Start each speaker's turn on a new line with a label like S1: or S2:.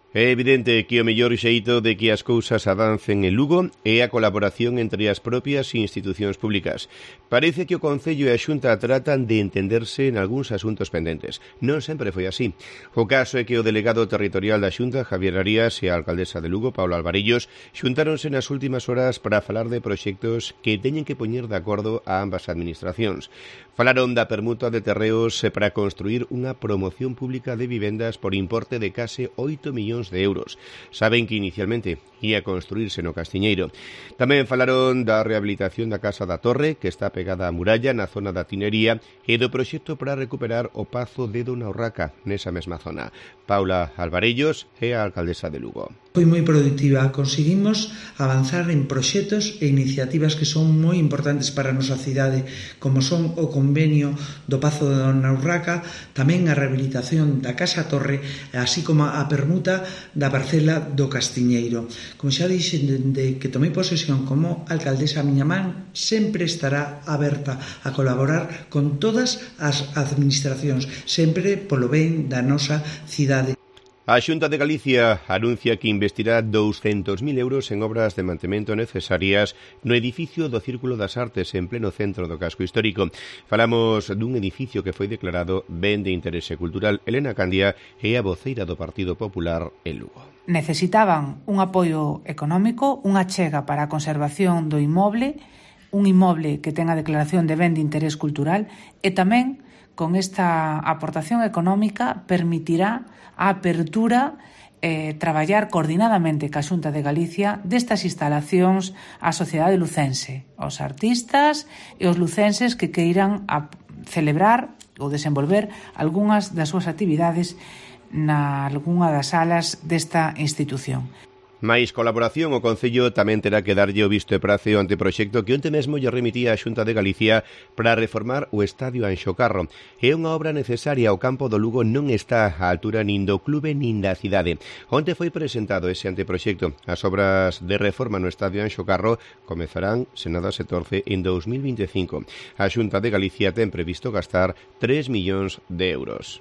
S1: É evidente que o mellor xeito de que as cousas avancen en Lugo é a colaboración entre as propias institucións públicas. Parece que o Concello e a Xunta tratan de entenderse en algúns asuntos pendentes. Non sempre foi así. O caso é que o delegado territorial da Xunta, Javier Arias, e a alcaldesa de Lugo, Paula Alvarellos, xuntáronse nas últimas horas para falar de proxectos que teñen que poñer de acordo a ambas administracións. Falaron da permuta de terreos para construir unha promoción pública de vivendas por importe de case 8 millóns de euros. Saben que inicialmente ia construirse no Castiñeiro. Tamén falaron da rehabilitación da Casa da Torre, que está pegada á muralla na zona da Tinería, e do proxecto para recuperar o Pazo de Dona Urraca nesa mesma zona. Paula Alvarellos é a alcaldesa de Lugo.
S2: Foi moi productiva, conseguimos avanzar en proxectos e iniciativas que son moi importantes para a nosa cidade, como son o convenio do Pazo de Dona Urraca, tamén a rehabilitación da Casa Torre, así como a permuta da parcela do Castiñeiro. Como xa dixen, dende que tomei posesión como alcaldesa, a miña man sempre estará aberta a colaborar con todas as administracións, sempre polo ben da nosa cidade.
S1: A Xunta de Galicia anuncia que investirá 200.000 euros en obras de mantemento necesarias no edificio do Círculo das Artes en pleno centro do casco histórico. Falamos dun edificio que foi declarado ben de interese cultural. Elena Candia é a voceira do Partido Popular en Lugo.
S3: Necesitaban un apoio económico, unha achega para a conservación do inmoble, un inmoble que ten a declaración de ben de interés cultural e tamén con esta aportación económica permitirá a apertura traballar coordinadamente ca Xunta de Galicia destas instalacións á sociedade lucense, aos artistas e os lucenses que queiran celebrar ou desenvolver algunhas das súas actividades na algunha das salas desta institución.
S1: Mais colaboración, o Concello tamén terá que darlle o visto e prace ao anteproxecto que onte mesmo lle remitía a Xunta de Galicia para reformar o Estadio Anxo Carro. É unha obra necesaria, o campo do Lugo non está á altura nin do clube nin da cidade. Onte foi presentado ese anteproxecto. As obras de reforma no Estadio Anxo Carro comezarán, se nada se torce, en 2025. A Xunta de Galicia ten previsto gastar 3 millóns de euros.